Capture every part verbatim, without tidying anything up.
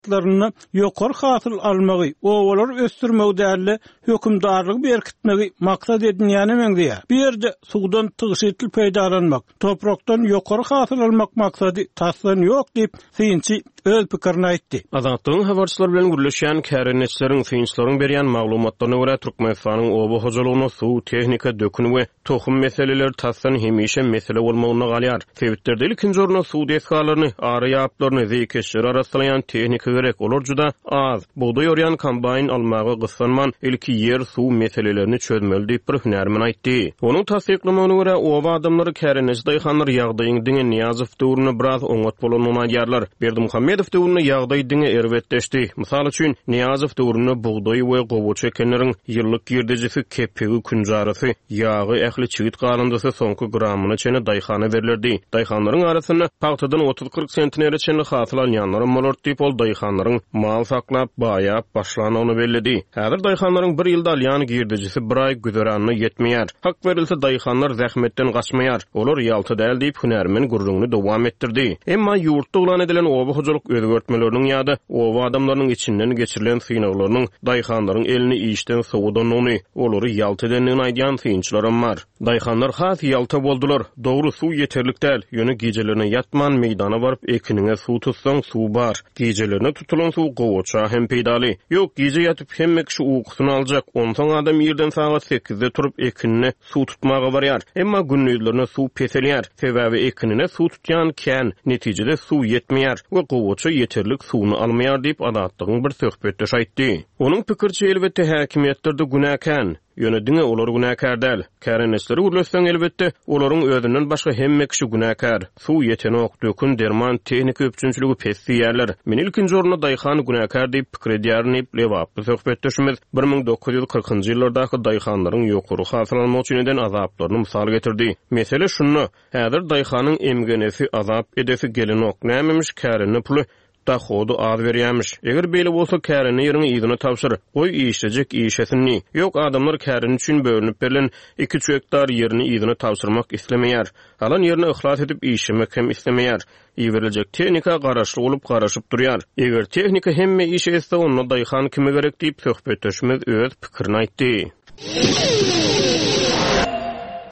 welaýatlarynda ýokary hasyl almagy, obalary ösdürmegi däl-de, hökümdarlygy berkitmegi maksat edinýäne meňzeýär. Bu ýerde suwdan tygşytly peýdalanmak, toprakdan ýokary hasyl almak maksady tasdan ýok diýip, synçy öz pikirini aýtdy. Azatlygyň habarçylary bilen gürleşýän kärendeçileriň, synçylaryň berýän maglumatlaryna görä, Türkmenistanyň oba hojalygynda suw, tehnika, dökün we tohum meseleleri tasdan hemişe mesele bolmagynda galýar. Sebitlerde ilkinji orunda suw desgalaryny, ary ýaplaryny, zeýkeşleri arassalaýan tehnika gerek, olar juda az. Bugdaý orýan kombaýn almaga gyssanman, ilki ýer, suw meselelerini çözmeli diýip, bir hünärmen aýtdy. Onuň tassyklamagyna görä, oba adamlary, kärendeçi daýhanlar ýagdaýyň diňe Nyýazow döwründe biraz oňat bolandygyny aýdýarlar. Berdimuhamedow döwründe ýagdaý diňe erbetleşdi. Mysal üçin, Nyýazow döwründe bugdaý we gowaça ekenleriň ýyllyk girdejisi, kepegi, künjarasy, ýagy, ähli çigit galyndysy soňky gramyna çenli daýhana berlerdi. Daýhanlaryň arasynda pagtadan otuz-kyrk sentnere çenli hasyl alýanlaram bolardy diýip, ol daýhanlaryň mal saklap, baýap başlandygyny belledi. Häzir daýhanlaryň bir ýylda alýan girdejisi bir aý güzeranyna ýetmeýär. Hak berilse, daýhanlar zähmetden gaçmaýar. Olar ýalta däl diýip, hünärmen gürrüňini dowam etdirdi. Emma ýurtda yglan edilen oba hojalyk özgertmeleriniň ýa-da oba adamlarynyň içinden geçirilen synaglarynyň daýhanlaryň elini işden sowadandygyny, olary ýalta edendigini aýdýan synçylaram bar. Daýhanlar has ýalta boldular. Dogry, suw ýeterlik däl, ýöne gijelerine ýatman meýdana baryp ekiniňe suw tutsaň, suw bar. Gijelerine tutulan suw gowaça hem peýdaly. Ýok, gije ýatyp hemme kişi ukusyny aljak, onsoň adam irden sagat sekizde turup ekinine suw tutmaga barýar. Emma gündizlerine suw peselýär. Sebäbi ekinine suw tutýan kän, netijede suw ýetmeýär we gowaça ýeterlik suwuny almaýar diýip, Azatlygyň bir söhbetdeşi aýtdy. Onuň pikiriçe, elbetde häkimiýetlerde günä kän. Ýöne diňe olar günäkär däl. Kärendeçileri gürletseň, elbetde, olaryň özünden başga hemme kişi günäkär. Suw ýetenok, dökün, derman, tehnika üpjünçiligi pes diýýärler. Men ilkinji orunda daýhan günäkär diýip pikir edýärin diýip, lebaply söhbetdeşimiz bir müň dokuz ýüz kyrkynjy ýyllardaky daýhanlaryň ýokary hasyl almak üçin eden azaplaryny mysal getirdi. Mesele şunda, häzir daýhanyň emgenesi, azap edesi gelenok. Nämemiş kärende puly dahody az berýämiş. Eger beýle bolsa, kärende ýeriňi yzyna tabşyr, goý işlejek işesin diý. Ýok, adamlar kärende üçin bölünip berlen iki-üç gektar ýerini yzyna tabşyrmak islemeýär. Alan ýerine yhlas edip işlemek hem islemeýär. Iberiljek tehnika garaşly bolup garaşyp durýar. Eger tehnika hemme işi etse, onda daýhan kime gerek diýip, söhbetdeşimiz öz pikirini aýtdy.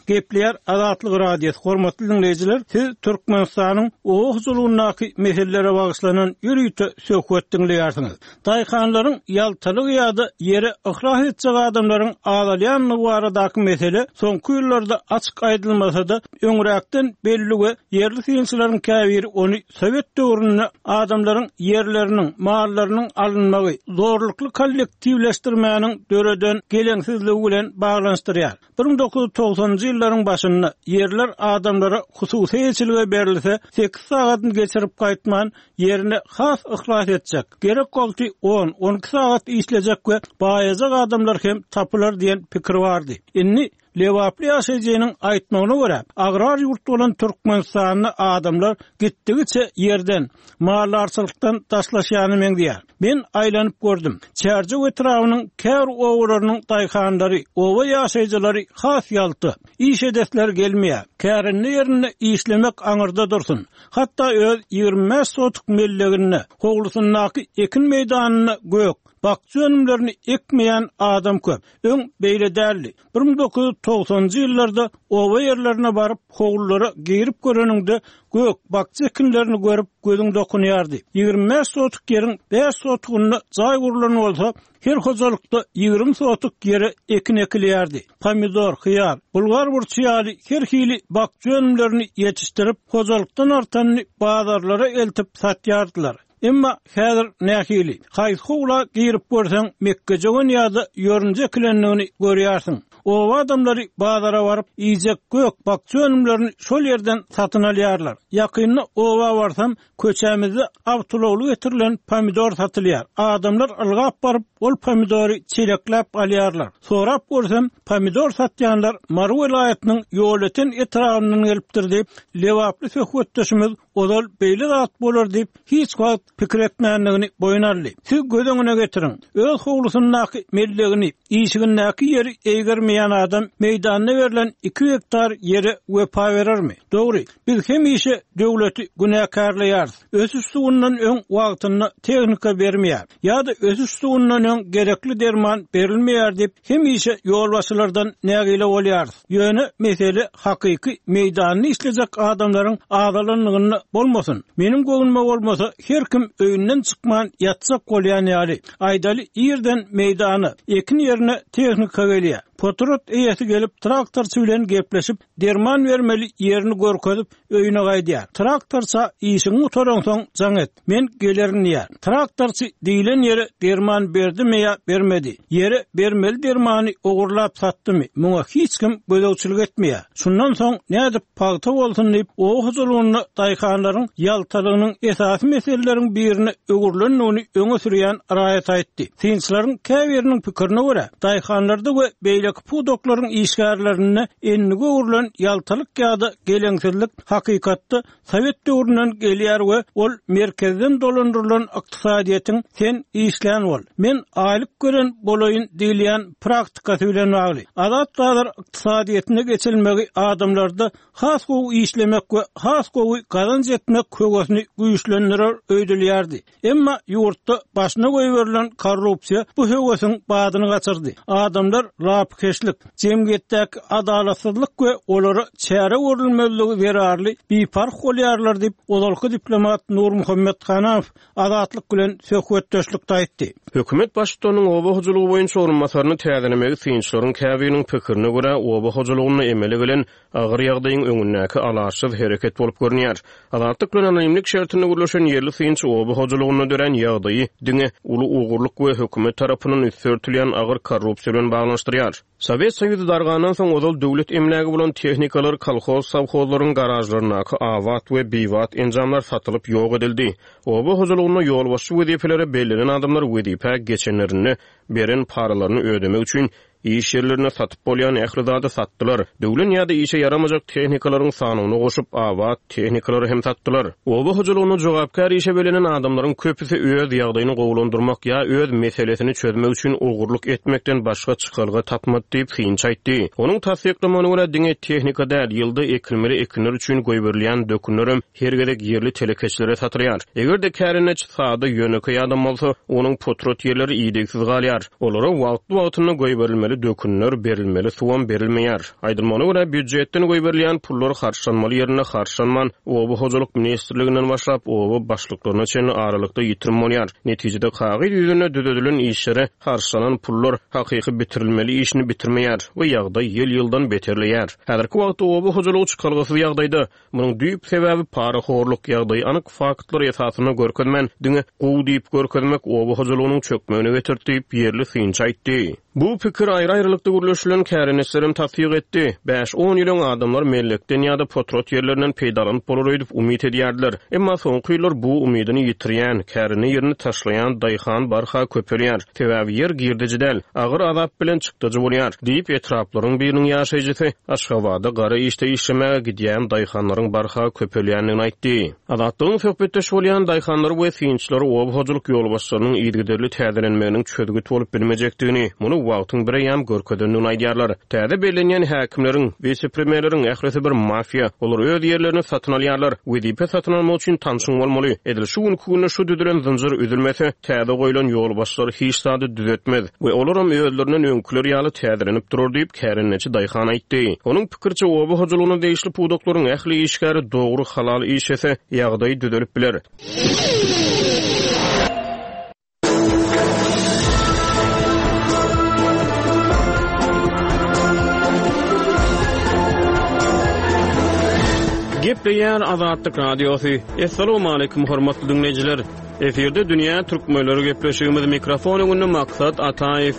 Gepleýär Azatlyk Radiosy. Hormatly dinleýjiler, siz Türkmenistanyň oba hojalygyndaky meselelere bagyşlanan ýörite söhbet diňleýärsiňiz. Daýhanlaryň ýaltalygy ýa-da ýere yhlas etjek adamlaryň azalýandygy baradaky mesele soňky ýyllarda açyk aýdylmasa-da, öňräkden belli we ýerli synçylaryň käbiri ony sowet döwründe adamlaryň ýerleriniň, mallarynyň alynmagy, zorlukly kollektiwleşdirmäniň döreden geleňsizligi bilen baglanyşdyrýar. Bir müň dokuz ýüz togsanynjy ýyllaryň başynda ýerler adamlara hususy eýeçilige berilse, sekiz sagatyny geçirip gaýtman, ýerine has yhlas etjek, gerek wagty on, on iki sagat işlejek we baýajak adamlar hem tapylar diýen pikir bardy. Indi lebaply ýaşaýjynyň aýtmagyna görä, agrar ýurt bolan Türkmenistanda adamlar gitdigiçe ýerden, maldarçylykdan daşlaşýany meňzeýär. Men aýlanyp gördüm. Çärjew etrabynyň käbir obalarynyň daýhanlary, oba ýaşaýjylary has ýalta. Iş edesleri gelmeýär. Kärende ýerinde işlemek aňyrda dursun. Hatda öz ýigrimi bäş sotuk melleginde, howlusyndaky ekin meýdanynda gök, bakja önümlerini ekmeýän adam köp. Öň beýle däldi. Bir müň dokuz ýüz togsanynjy ýyllarda oba ýerlerine baryp, howlulara girip göreniňde gök, bakja ekinlerini görüp gözüň dokunýardy. Ýigrimi bäş sotuk ýeriň bäş sotugynda jaý gurlan bolsa, her hojalykda ýigrimi sotuk ýere ekin ekilýärdi. Pomidor, hyýar, bulgar burçy ýaly her hili bakja önümlerini ýetişdirip, hojalykdan artanyny bazarlara eltip satýardylar. Emma häzir nähili? Haýsy howla girip görseň, mekgejöwen ýa-da ýörünje ekilendigini görýärsiň. Oba adamlary bazara baryp, iýjek gök, bakja önümlerini şol ýerden satyn alýarlar. Ýakynda oba barsam, köçämizde awtoulagly getirilen pomidor satylýar. Adamlar ylgap baryp, ol pomidory çelekläp alýarlar. Sorap görsem, pomidor satýanlar Mary welaýatynyň Ýolöten etrabyndan gelipdir diýip, lebaply söhbetdeşimiz ozal beýle zat bolar diýip, hiç wagt pikir etmändigini boýun aldy. Siz göz öňüne getiriň, öz howlusyndaky mellegini, işigindäki ýeri eýgermeýän etmeýän adam meýdanda berlen iki gektar ýere wepa berermi? Dogry, biz hemişe döwleti günäkärleýäris. Ösüş suwundan öň wagtynda tehnika bermeýär ýa-da ösüş suwundan öň gerekli derman berilmeýär diýip hemişe ýolbaşçylardan nägile bolýarys. Ýöne mesele hakyky meýdanyny işlejek adamlaryň azalanlygynda bolmasyn. Meniň göwnüme bolmasa her kim öýünden çykman ýatjak bolýan ýaly. Aýdaly ýerden meýdana, ekin ýerine tehnika gelýär. Potrat eýesi gelip traktorçy bilen gepleşip, derman bermeli ýerini görkezip öýüne gaýdýar. Traktorça işiň gutaransoň jaň et. Men gelerin diýär. Traktorçy diýlen ýere derman berdimi ýa bermedi. Ýere bermeli dermany ogurlap satdymy? Muňa hiç kim gözegçilik etmeýär. Şundan soň nädip pagta bolsun diýip, oba hojalygynda daýhanlaryň ýaltalygynyň esasy meseleleriň birine öwrülendigini öňe sürýän raýat aýtdy. Synçylaryň käbiriniň pikirine görä, daýhanlarda we beýleki pudaklaryň işgärlerinde endige öwrülen ýaltalyk ýa-da geleňsizlik hakykatda Sowet döwründen gelýär we ol merkezden dolandyrylan ykdysadyýetiň sen işlän bol, men aýlyk gören bolaýyn diýilýän praktikasy bilen bagly. Azat bazar ykdysadyýetine geçilmegi adamlarda has gowy işlemek we has gowy gazanç etmek höwesini güýçlendirer öýdülýärdi. Emma ýurtda başyna goýberilen korrupsiýa bu höwesiň badyny gaçyrdy. Adamlar lapykeçlik, jemgyýetdäki adalatsyzlyk we olara çäre görülmezligi zerarly biparh bolýarlar diýip, ozalky diplomat Nurmuhammet Hanamow Azatlyk bilen söhbetdeşlikde aýtdy. Hökümet baştutanynyň oba hojalygy boýunça orunbasaryny täzelemegi synçylaryň käbiriniň pikirine görä, oba hojalygynda emele gelen agyr ýagdaýyň öňündäki alaçsyz hereket bolup görünýär. Azatlyk bilen anonimlik şertinde gürleşen ýerli synçy oba hojalygynda dörän ýagdaýy diňe uly ogurlyk we hökümet tarapyndan üsti örtülýän agyr korrupsiýa bilen baglanyşdyrýar. Sowet Soýuzy dargandan soň ozal döwlet emlägi bolan tehnikalar kolhoz-sowhozlaryň garažlaryndaky abat we bibat enjamlar satylyp ýok edildi. Oba hojalygynda ýolbaşçy wezipelere bellenen adamlar wezipä geçenlerinde beren paralaryny ödemek üçin iş ýerlerinde satyp bolýan ähli zady satdylar. Döwlen ýa-da işe ýaramajak tehnikalaryň sanyny goşup, abat tehnikalary hem satdylar. Oba hojalygynda jogapkär işe bellenen adamlaryň köpüsi öz ýagdaýyny gowulandyrmak ýa öz meselesini çözmek üçin ogurlyk etmekden başga çykalga tapmady diýip synçy aýtdy. Onuň tassyklamagyna görä diňe tehnika däl, ýylda ekilmeli ekinler üçin goýberilýän dökünlerem her gezek ýerli telekeçilere satylýar. Eger-de kärendeçi sada ýönekeý adam bolsa, onuň potrat ýerleri idegsiz galýar. Olara wagtly-wagtynda goýberilmeli dökünler, berilmeli suwam berilmeýär. Aýdylmagyna görä, býujetden goýberilýän pullar harçlanmaly ýerinde harçlanman, oba hojalyk ministrliginden başlap oba başlyklaryna çenli aralykda ýitirim bolýar. Netijede kagyz ýüzünde düzedilen işlere harçlanan pullar hakyky bitirilmeli işini bitirmeýär we ýagdaý ýyl-ýyldan beterleýär. Häzirki wagtda oba hojalygy çykalgasyz ýagdaýda. Munuň düýp sebäbi parahorluk, ýagdaýy anyk faktlar esasynda görkezmän, diňe gowy diýip görkezmek oba hojalygynyň çökmegine getirdi diýip ýerli synçy aýtdy. Bu pikir aýry-aýrylykda gürleşilen kärendeçilerem tassyk etdi. Bäş-on ýyl öň adamlar mellekden ýa-da potrat ýerlerinden peýdalanyp bolar öýdüp umyt edýärdiler. Emma soňky ýyllar bu umydyny ýitirýän, kärende ýerini taşlaýan daýhan barha köpelýär. Sebäbi ýer girdeji däl, agyr azap bilen çykdajy bolýar diýip etraplaryň biriniň ýaşaýjysy Aşgabada gara işde işlemäge gidýän daýhanlaryň barha köpelýändigini aýtdy. Azatlygyň söhbetdeş bolýan daýhanlary we synçylary oba hojalyk ýolbaşçylarynyň yzygiderli täzelenmeginiň çözgüt bolup bilmejekdigini, muny wagtyň bireýýäm görkezendigini aýdýarlar. Täze bellenýän häkimleriň, wise-premýerleriň ählisi bir mafiýa. Olar öz ýerlerini satyn alýarlar. Wezipe satyn almak üçin tanşyň bolmaly. Edil şu günki günde şu düzülen zynjyr üzülmese, täze goýlan ýolbaşçylar hiç zady düzetmez we olaram özlerinden öňküler ýaly täzelenip durar diýip kärendeçi daýhan aýtdy. Onuň pikiriçe oba hojalygyna degişli pudaklaryň ähli işgäri dogry halal işlese, ýagdaý düzelip biler. Gepleýär Azatlyk Radiosy. Essalamu aleýkum hormatly dinleýjiler. Efirde Dünýä Türkmenleri gepleşigimiz mikrofon öňünde Maksat Ataýew.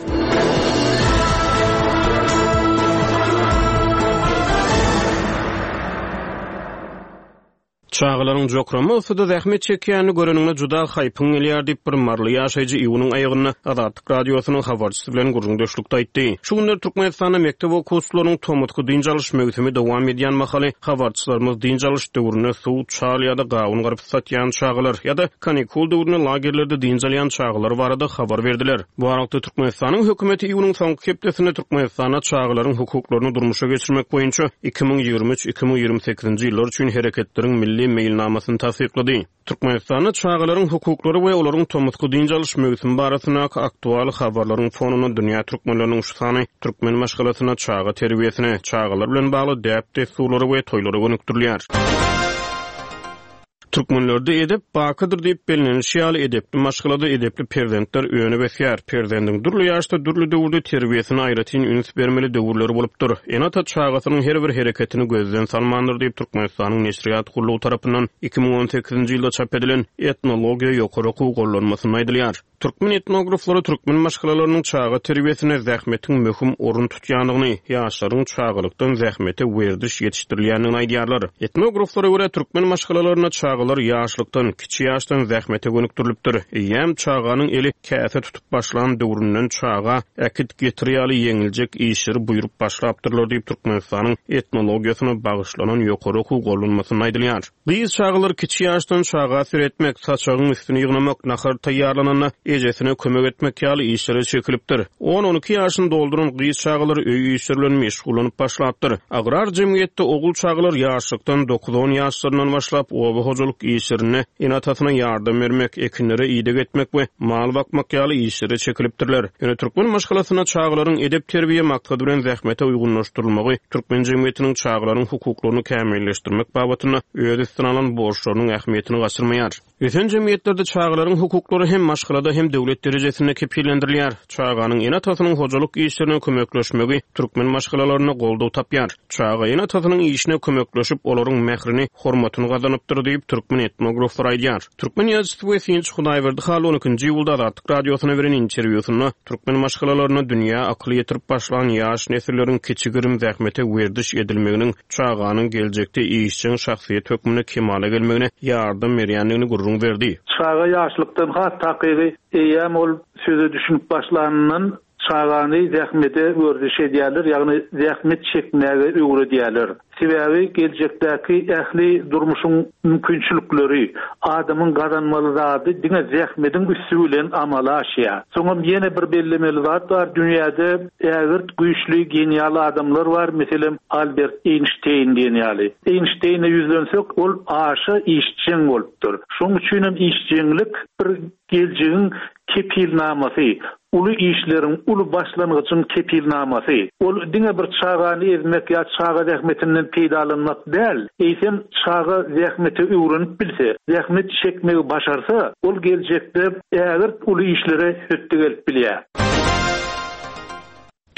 Çagalaryň jokrama yssyda zähmet çekýänini göreniňde juda haýpyň gelýär diýip, bir maryly ýaşaýjy iýunyň aýagynda Azatlyk Radiosynyň habarçysy bilen gürrüňdeşlikde aýtdy. Şu günler Türkmenistanda mekdep okuwçylarynyň tomusky dynç alyş möwsümi dowam edýän mahaly habarçylarymyz dynç alyş döwründe suw, çal ýa-da gawun-garpyz satýan çagalar ýa-da kanikul döwründe lagerlerde dynç alýan çagalar barada habar berdiler. Bu aralykda, Türkmenistanyň hökümeti iýunyň soňky hepdesinde Türkmenistanda çagalaryň hukuklaryny durmuşa geçirmek boýunça iki müň ýigrimi üç, iki müň ýigrimi sekizinji ýyllar üçin hereketleriň milli meýilnamasyny tassyklady. Türkmenistanda çagalaryň hukuklary we olaryň tomusky dynç alyş möwsümi barasyndaky aktual habarlaryň fonunda dünýä türkmenleriniň şu sany türkmen maşgalasynda çaga terbiýesine, çagalar bilen bagly däp-dessurlara we toýlara gönükdirilýär. Türkmenlerde edep bakydyr diýip bellenilişi ýaly, edepli maşgalada edepli perzentler önüp ösýär. Perzendiň dürli ýaşda, dürli döwürde terbiýesine aýratyn üns bermeli döwürleri bolupdyr. Ene-ata çagasynyň her bir hereketini gözden salmandyr diýip, Türkmenistanyň Neşirýat gullugy tarapyndan iki müň on sekizinji ýylda çap edilen Etnologiýa ýokary okuw gollanmasynda aýdylýar. Türkmen etnograflary türkmen maşgalalarynyň çaga terbiýesinde zähmetiň möhüm orun tutýandygyny, ýaşlaryň çagalykdan zähmete werdiş ýetişdirilýändigini aýdýarlar. Etnograflara görä türkmen maşgalalarynda çagalar ýaşlykdan, kiçi ýaşdan zähmete gönükdirilipdir. Eýýäm çaganyň eli käse tutup başlan döwründen çaga äkit getir ýaly ýeňiljek işleri buýrup başlapdyrlar diýip Türkmenistanyň etnologiýasyna bagyşlanan ýokary okuw gollanmasynda aýdylýar. Gyz çagalar kiçi ýaşdan çaga seretmek, saçagyň üstüni ýygnamak, nahar taýýarlananda ejesine kömek etmek ýaly işlere çekilipdir. On-on iki ýaşyny dolduran gyz çagalar öý işleri bilen meşgullanyp başlapdyr. Agrar jemgyýetde ogul çagalar ýaşlykdan dokuz-on ýaşlaryndan başlap oba hojalyk işlerinde ene-atasyna ýardam bermek, ekinlere ideg etmek we mal bakmak ýaly işlere çekilipdirler. Ýöne türkmen maşgalasynda çagalaryň edep terbiýe maksady bilen zähmete uýgunlaşdyrylmagy türkmen jemgyýetiniň çagalaryň hukuklaryny kämilleşdirmek babatynda öz üstüne alan borçlarynyň ähmiýetini gaçyrmaýar. Ösen jemgyýetlerde çagalaryň hukuklary hem maşgalada hem döwlet derejesinde kepillendirilýär. Çaganyň ene-atasynyň hojalyk işlerine kömekleşmegi türkmen maşgalalarynda goldaw tapýar. Çaga ene-atasynyň işine kömekleşip, olaryň mährini, hormatyny gazanypdyr diýip türkmen etnograflary aýdýar. Türkmen ýazyjysy we synçy Hudaýberdi Hally on ikinji iýulda Azatlyk Radiosyna beren interwýusynda türkmen maşgalalarynda dünýä akyly ýetirip başlan ýaş nesilleriň kiçi-girim zähmete werdiş edilmeginiň çaganyň geljekde işjeň şahsyýet hökmünde kemala gelmegine ýardam berýändigini gürrüň berdi. Çaga ýaşlykdan has takygy eýýäm ol söze düşünip başlanyndan çagany zähmete werdiş edýärler, ýagny zähmet çekmäge öwredýärler. Sebäbi geljekdäki ähli durmuşyň mümkinçilikleri, adamyň gazanmaly zady diňe zähmediň üsti bilen amala aşýar. Soňam ýene bir bellemeli zat bar, dünýäde ägirt güýçli genial adamlar bar, meselem Albert Einstein diýen ýaly. Einsteine ýüzlensek, ol aşa işjeň bolupdyr. Şonuň üçin hem işjeňlik bir geljegiň kepilnamasy, uly işleriň, uly başlangyjyň kepilnamasy. Ol diňe bir çagany ezmek ýa çaga zähmetinden peýdalanmak däl, eýsem çaga zähmete öwrenip bilse, zähmet çekmegi başarsa, ol geljekde ägirt uly işlere hötde gelip bilýär.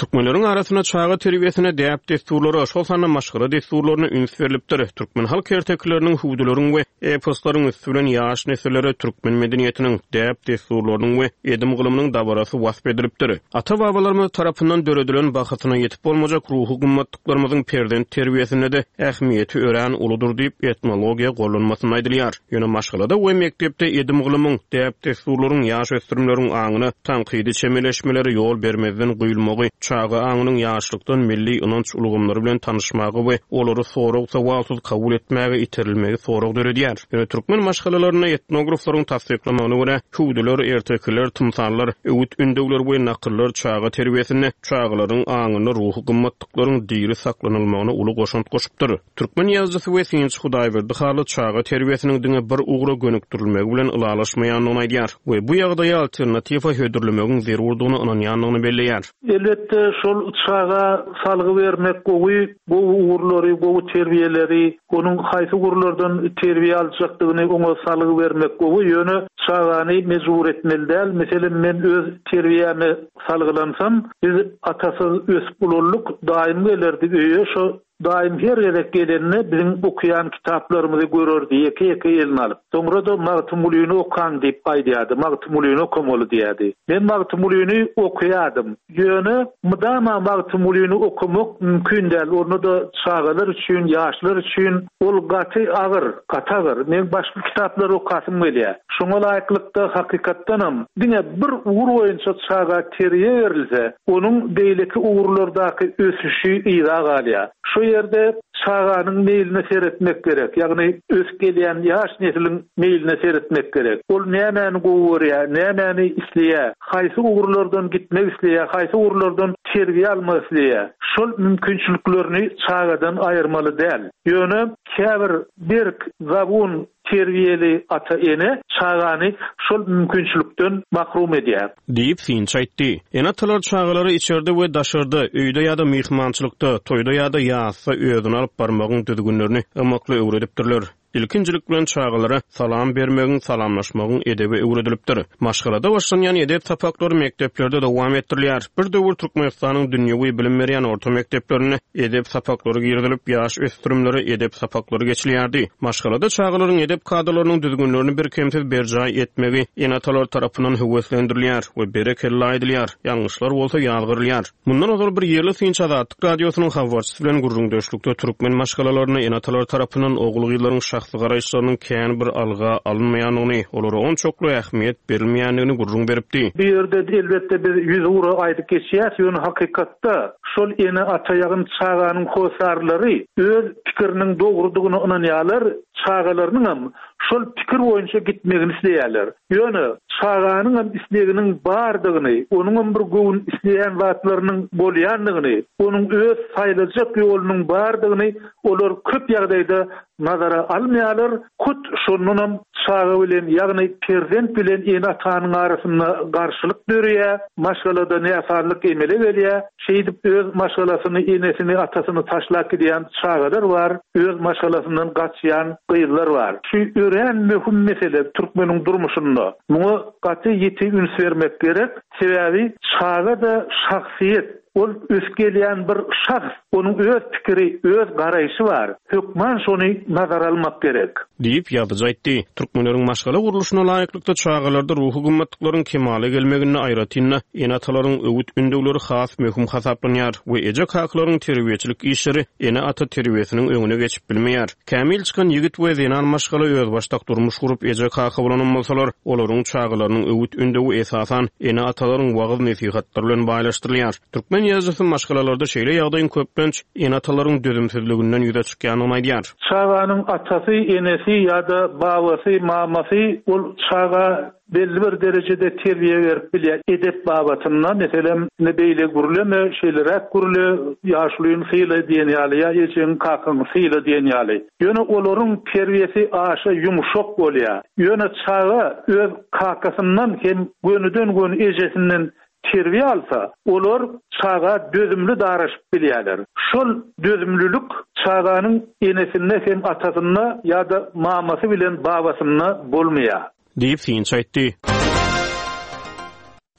Türkmenleriň arasynda çaga terbiýesine däp-dessurlara, şol sanda maşgala dessurlaryna üns berlipdir. Türkmen halk ertekileriniň, hüwdüleriň we eposlaryň üsti bilen ýaş nesillere türkmen medeniýetiniň, däp-dessurlarynyň we edim-gylymynyň dabarasy wasp edilipdir. Ata-babalarymyz tarapyndan döredilen bahasyna ýetip bolmajak ruhy gymmatlyklarymyzyň perzent terbiýesinde-de ähmiýeti örän uludyr diýip etnologiýa gollanmasynda aýdylýar. Ýöne maşgalada we mekdepde edim-gylymyň, däp-dessurlaryň ýaş ösdürimleriň aňyna tankydy çemeleşmelere ýol bermezden guýulmagy, çaga aňynyň ýaşlykdan milli ynanç ulgamlary bilen tanyşmagy we olary sorag-sowalsyz kabul etmäge iterilmegi sorag döredýär. Ýöne türkmen maşgalalarynda etnograflaryň tassyklamagyna görä, hüwdüler, ertekiler, tymsallar, öwüt ündewler we nakyllar çaga terbiýesinde çagalaryň aňynda ruhy gymmatlyklaryň diri saklanylmagyna uly goşant goşupdyr. Türkmen ýazyjysy we synçy Hudaýberdi Hally çaga terbiýesiniň diňe bir ugra gönükdirilmegi bilen ylalaşmaýandygyny aýdýar we bu ýagdaýa alternatiwa hödürlemegiň zerurdygyna ynanýandygyny belleýär. Elbetde şol çaga salgy bermek gowy, gowy ugurlary, gowy terbiýeleri, onuň haýsy ugurlardan terbiýe aljakdygyny oňa salgy bermek gowy, ýöne çagany mejbur etmeli däl. Meselem, men öz terbiýäme salgylansam, biz atasyz ösüp ulaldyk, daýym gelerdi öýe, şo Daýym her gezek gelende biziň okaýan kitaplarymyzy görerdi, ýeke-ýeke eline alyp. Soňra-da Magtymgulyny okaň diýip aýdýardy, Magtymgulyny okamaly diýýärdi. Men Magtymgulyny okaýardym. Ýöne mydama Magtymgulyny okamak mümkin däl. Onda-da çagalar üçin, ýaşlar üçin ol gaty agyr, gaty agyr. Men başga kitaplary okasym gelýär. Şoňa laýyklykda hakykatdanam diňe bir ugur boýunça çaga terbiýe berilse, onuň beýleki ugurlardaky ösüşi yza galýar. Şu ýerde çaganyň meýline seretmek gerek. Ýagny ösüp gelýän ýaş nesliň meýline seretmek gerek. Ol nämäni gowy görýär, nämäni isleýär, haýsy ugurlardan gitmek isleýär, haýsy ugurlardan terbiýe almak isleýär. Şol mümkinçiliklerini çagadan aýyrmaly däl. Ýöne käbir berk, zabun terbiýeli ata-ene çagany şol mümkinçilikden mahrum edýär. Diýip, synçy aýtdy. Ene-atalar çagalary içerde we daşarda, öýde ýa-da myhmançylykda, toýda ýa-da ýasda özüni alyp barmagyň düzgünlerini ymykly öwredipdirler. Ilkinjilik bilen çagalara salam bermegiň, salamlaşmagyň edebi öwredilipdir. Maşgalada başlanýan edep sapaklary mekdeplerde dowam etdirilýär. Bir döwür Türkmenistanyň dünýewi bilim berýän orta mekdeplerinde edep sapaklary girizilip, ýaş ösdürimlere edep sapaklary geçilýärdi. Maşgalada çagalaryň edep kadalarynyň düzgünlerini birkemsiz berjaý etmegi ene-atalar tarapyndan höweslendirilýär we berekella aýdylýar, ýalňyşlar bolsa ýazgarylýar. Mundan ozal bir ýerli synçy Azatlyk Radiosynyň habarçysy bilen gürrüňdeşlikde türkmen maşgalalarynda ene-atalar tarapyndan ogul-gyzlaryň şahsy garaýyşlarynyň kän bir alga alynmaýandygyny, olara onçakly ähmiýet berilmeýändigini gürrüň beripdi. Bu ýerde elbetde biz ýüz ugra aýdyp geçýäs, ýöne hakykatda şol ene-ata ýagny çaganyň hossarlary öz pikiriniň dogrudygyna ynanýarlar, çagalarynyňam şol pikir boýunça gitmegini isleýärler. Ýöne çaganyňam isleginiň bardygyny, onuňam bir göwün isleýän zatlarynyň bolýandygyny, onuň öz saýlajak ýolunyň bardygyny olar köp ýagdaýda nazara almaýarlar. Hut şondanam çaga bilen, ýagny perzent bilen ene-atanyň arasynda garşylyk döreýär, maşgalada näsazlyk emele gelýär. Şeýdip öz maşgalasyny, enesini, atasyny taşlap gidýän çagalar bar, öz maşgalasyndan gaçýan gyzlar bar. Şu örän möhüm mesele türkmeniň durmuşynda. Muňa gaty ýiti üns bermek gerek. Sebäbi çaga-da şahsyýet, ol ösüp gelýän bir şahs, onuň öz pikiri, öz garaýşy bar. Hökman şony nazara almak gerek. Diýip, ýazyjy aýtdy. Türkmenleriň maşgala gurluşyna laýyklykda çagalarda ruhy gymmatlyklaryň kemala gelmeginde aýratyn-da ene-atalaryň öwüt-ündewleri has möhüm hasaplanýar we eje-kakalaryň terbiýeçilik işleri ene-ata terbiýesiniň öňüne geçip bilmeýär. Kämil çykan ýigit we zenan maşgala özbaşdak durmuş gurup eje-kaka bolanam bolsalar, olaryň çagalarynyň öwüt-ündewi esasan ene-atalaryň wagyz-nesihatlary bilen baýlaşdyrylýar. Türkmen ýazyjysy maşgalalarda şeýle ýagdaýyň köplenç ene-atalaryň dözümsizliginden ýüze çykýandygyny aýdýar. Çaganyň atasy, enesi ýa-da babasy, mamasy ol çaga belli bir derejede terbiýe berip bilýär. Edep babatynda, meselem, ine beýle gürleme, şeýleräk gürle, ýaşulyny syla diýen ýaly, ýa ejeňi, kakaňy syla diýen ýaly. Ýöne olaryň terbiýesi aşa ýumşak bolýar. Ýöne çaga öz kakasyndan hem gönüden-göni ejesinden terbiýe alsa, olar çaga dözümli daraşyp bilýärler. Şol dözümlilik çaganyň enesinde hem atasynda ýa-da mamasy bilen babasynda bolmaýar. Diýip synçy aýtdy.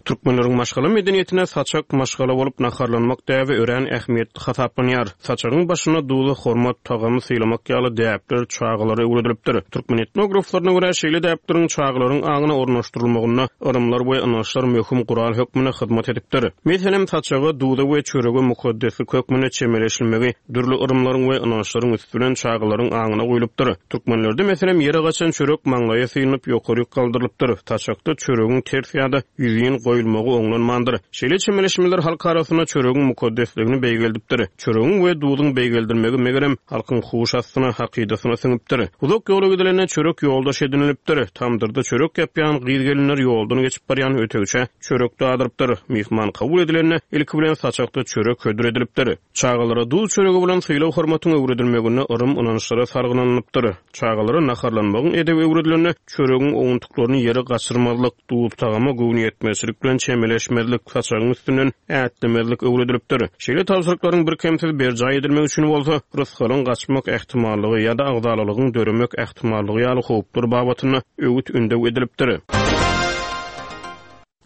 Türkmenleriň maşgala medeniýetine saçak maşgala bolup naharlanmak däbi örän ähmiýetli hasaplanýar. Saçagyň başynda duza hormat, tagamy sylamak ýaly däpler çagalara öwredilipdir. Türkmen etnograflaryna görä şeýle däpleriň çagalaryň aňyna ornaşdyrylmagynda yrymlar we ynançlar möhüm gural hökmünde hyzmat edipdir. Meselem, saçaga duza we çörege mukaddeslik hökmünde çemeleşilmegi dürli yrymlaryň we ynançlaryň üsti bilen çagalaryň aňyna guýlupdyr. Türkmenlerde meselem ýere gaçan çörek maňlaýa synyp ýokaryk galdyrylypdyr. Saçakda çöregiň ters ýa-da ýüzin goýulmagy oňlanmandyr. Şeýle çemeleşmeler halk arasynda çöregiň mukaddesligini beýgeldipdir. Çöregiň we duzuň beýgeldilmegi megerem halkyň huş astyna, hakydasyna siňipdir. Uzak ýola gidilende çörek ýoldaş edinilipdir. Tamdyrda çörek ýapýan gyz-gelinler ýoldan geçip barýan ötegçä çörek dadyrypdyr. Myhman kabul edilende ilki bilen saçakda çörek hödür edilipdir. Çagalara duz çöregi bilen sylag hormatyň öwredilmeginde yrym ynançlara salgylanypdyr. Çagalara naharlanmagyň edebi öwredilende çöregiň owuntyklaryny ýere gaçyrmazlyk, duz tagama göwnüýetmezçilik bilen çemeleşmezlik, saçagyň üstünden ätlemezlik öwredilipdir. Şeýle tabşyryklaryň birkemsiz berjaý edilmegi üçin bolsa rysgalyň gaçmak ähtimallygy ýa-da agzalalygyň döremek ähtimallygy ýaly howplar babatynda öwüt-ündew edilipdir.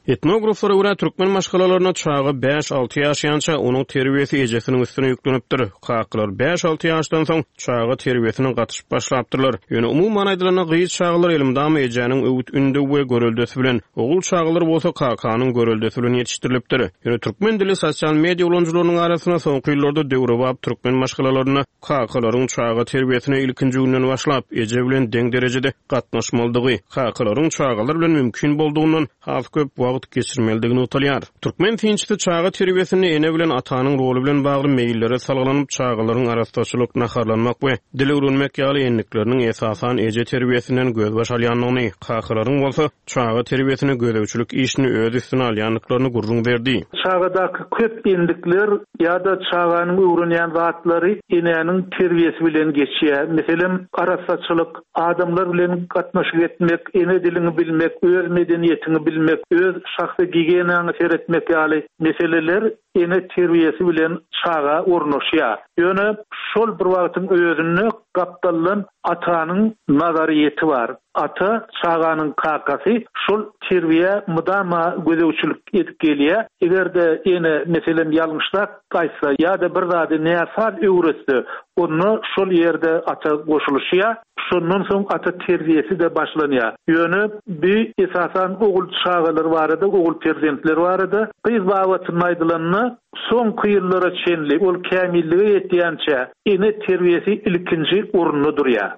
Etnograflara görä, türkmen maşgalalarynda çaga bäş-alty ýaşaýança onuň terbiýesi ejesiniň üstüne ýüklenipdir. Kakalar bäş-alty ýaşdan soň çaga terbiýesine gatyşyp başlapdyrlar. Ýöne umuman aýdylanda gyz çagalar elmydama ejäniň öwüt-ündew we göreldesi bilen, ogul çagalar bolsa kakanyň göreldesi bilen ýetişdirilipdir. Ýöne türkmen dilli sosial media ulanyjylarynyň arasynda soňky ýyllarda döwrebap türkmen maşgalalarynda kakalaryň çaga terbiýesine ilkinji günden başlap, eje bilen deň derejede gatnaşmalydygy, kakalaryň çagalar bilen mümkin boldugyndan has köp wagt geçirmelidigi nygtalýar. Türkmen synçysy çaga terbiýesinde ene bilen atanyň roly bilen bagly meýillere salgylanyp, çagalaryň arassaçylyk, naharlanmak we dil öwrenmek ýaly endikleriniň esasan eje terbiýesinden gözbaş alýandygyny, kakalaryň bolsa çaga terbiýesine gözegçilik işini öz üstüne alýandyklaryny gürrüň berdi. Çagadaky köp endikler ýa-da çaganyň öwrenýän zatlary enäniň terbiýesi bilen geçýär. Meselem, arassaçylyk, adamlar bilen gatnaşyk etmek, ene diliňi bilmek, öz medeniýetiňi bilmek, öz şahsy gigiýenaňa seretmek ýaly meseleler ene terbiýesi bilen çaga ornaşýar. Ýöne şol bir wagtyň özünde gapdaldan atanyň nazaryýeti bar. Ata çaganyň kakasy şol terbiýä mydama gözegçilik edip gelýär. Eger-de ene meselem ýalňyşlap gaýtsa ýa-da bir zady näsaz öwretse, onda şol ýerde ata goşulyşýar. Şondan soň ata terbiýesi-de başlanýar. Ýöne bi esasan ogul çagalar barada, ogul perzentler barada, gyz babatynda aýdylanda soňky ýyllara çenli ol kämillige ýetýänçä ene terbiýesi ilkinji orunda durýar.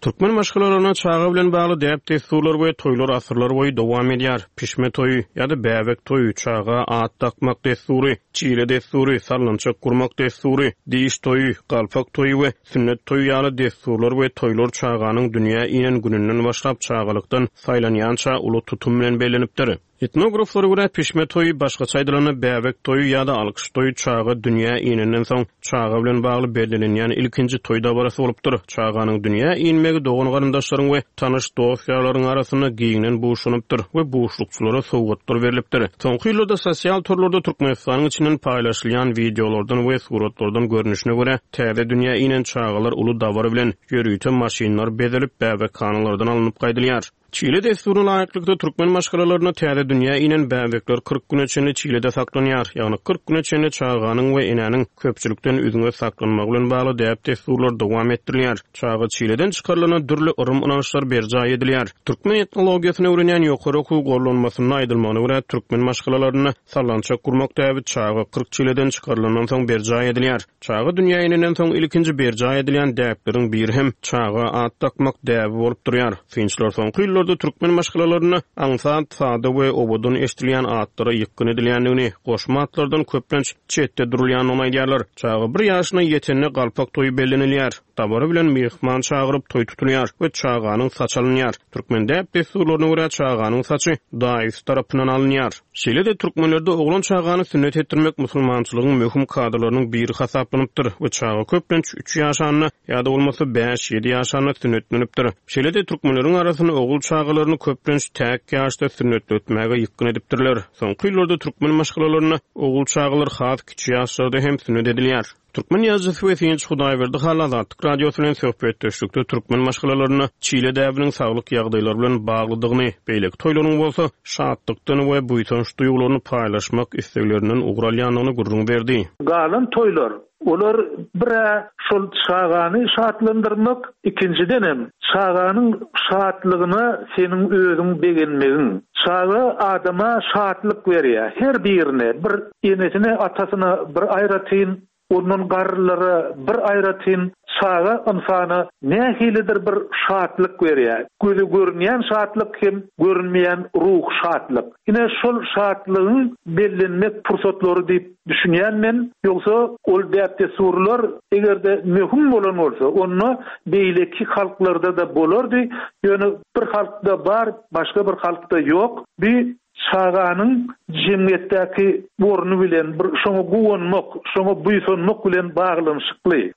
Türkmen maşgalalarynda çaga bilen bagly däp-dessurlar we toýlar asyrlar boýy dowam edýär. Pişme toýy ýa-da bäbek toýy, çaga at dakmak dessury, çile dessury, sallançak gurmak dessury, diş toýy, galpak toýy we sünnet toýy ýaly dessurlar we toýlar çaganyň dünýä inen gününden başlap çagalykdan saýlanýança uly tutum bilen bellenipdir. Etnograflara görä pişme toýy, başgaça aýdylanda bäbek toýy ýa-da alkyş toýy çaga dünýä inenden soň çaga bilen bagly bellenilýän ilkinji toý dabarasy bolupdyr. Çaganyň dünýä inmegi dogan-garyndaşlaryň we tanyş dost-ýarlaryň arasynda giňden buşlanypdyr we buşlukçylara sowgatlar berlipdir. Soňky ýyllarda sosial torlarda Türkmenistanyň içinden paýlaşylýan wideolardan we suratlardan görnüşine görä täze dünýä inen çagalar uly dabara bilen ýörite maşynlar bezelip bäbekhanalardan alnyp gaýdylýar. Çile dessuryna laýyklykda türkmen maşgalalarynda täze dünýä inen bäbekler kyrk güne çenli çilede saklanýar. Ýagny kyrk güne çenli çaganyň we enäniň köpçülikden üzňe saklanmagy bilen bagly däp-dessurlar dowam etdirilýär. Çaga çileden çykarylanda dürli yrym-ynançlar berjaý edilýär. Türkmen etnologiýasyny öwrenýän ýokary okuw gollanmasynda aýdylmagyna görä türkmen maşgalalarynda sallançak gurmak däbi çaga kyrk çileden çykarylandan soň berjaý edilýär. Çaga dünýä inenden soň ilkinji berjaý edilýän däpleriň biri hem çaga at dakmak däbi bolup durýar. Synçylar soňky ýyllarda türkmen maşgalalarynda aňsat, sada we owadan eşidilýän atlara ýykgyn edilýändigini, goşma atlardan köplenç çetde durulýandygyny aýdýarlar. Çaga bir ýaşyna ýetende galpak toýy bellenilýär. Dabara bilen myhman çagyryp toý tutulýar we çaganyň saçy alynýar. Türkmen däp-dessurlaryna görä çaganyň saçy daýysy tarapyndan alynýar. Şeýle-de türkmenlerde oglan çagany sünnet etdirmek musulmançylygyň möhüm kadalarynyň biri hasaplanypdyr we çaga köplenç üç ýaşanda ýa-da bolmasa bäş-ýedi ýaşanda sünnetlenipdir. Şeýle-de türkmenleriň arasynda ogul çagalaryny köplenç täk ýaşda sünnetletmäge ýykgyn edipdirler. Soňky ýyllarda türkmen maşgalalarynda ogul çagalar has kiçi ýaşlarda hem sünnet edilýär. Türkmen ýazyjysy we synçy Hudaýberdi Hally Azatlyk Radiosy bilen söhbetdeşlikde türkmen maşgalalarynda çile däbiniň saglyk ýagdaýlary bilen baglydygyny, beýleki toýlaryň bolsa şatlykdan we buýsanç duýgularyny paýlaşmak isleglerinden ugur alýandygyny gürrüň berdi. Galan toýlar, olar bir-ä şol çagany şatlandyrmak, ikinjidenem çaganyň şatlygyna seniň özüň begenmegiň. Çaga adama şatlyk berýär. Her birine, bir enesine, atasyna bir aýratyn, ondan garrylara bir aýratyn, çaga ynsana nähilidir bir şatlyk berýär. Göze görünýän şatlyk hem görünmeýän ruh şatlyk. Ine şol şatlygyň bellenmek pursatlary diýip düşünýän men, ýogsa ol däp-dessurlar eger-de möhüm bolan bolsa, onda beýleki halklarda-da bolardy. Ýöne bir halkda bar, başga bir halkda ýok. Bir çaganyň jemgyýetdäki orny bilen bir şoňa guwanmak, şoňa buýsanmak bilen baglanyşykly.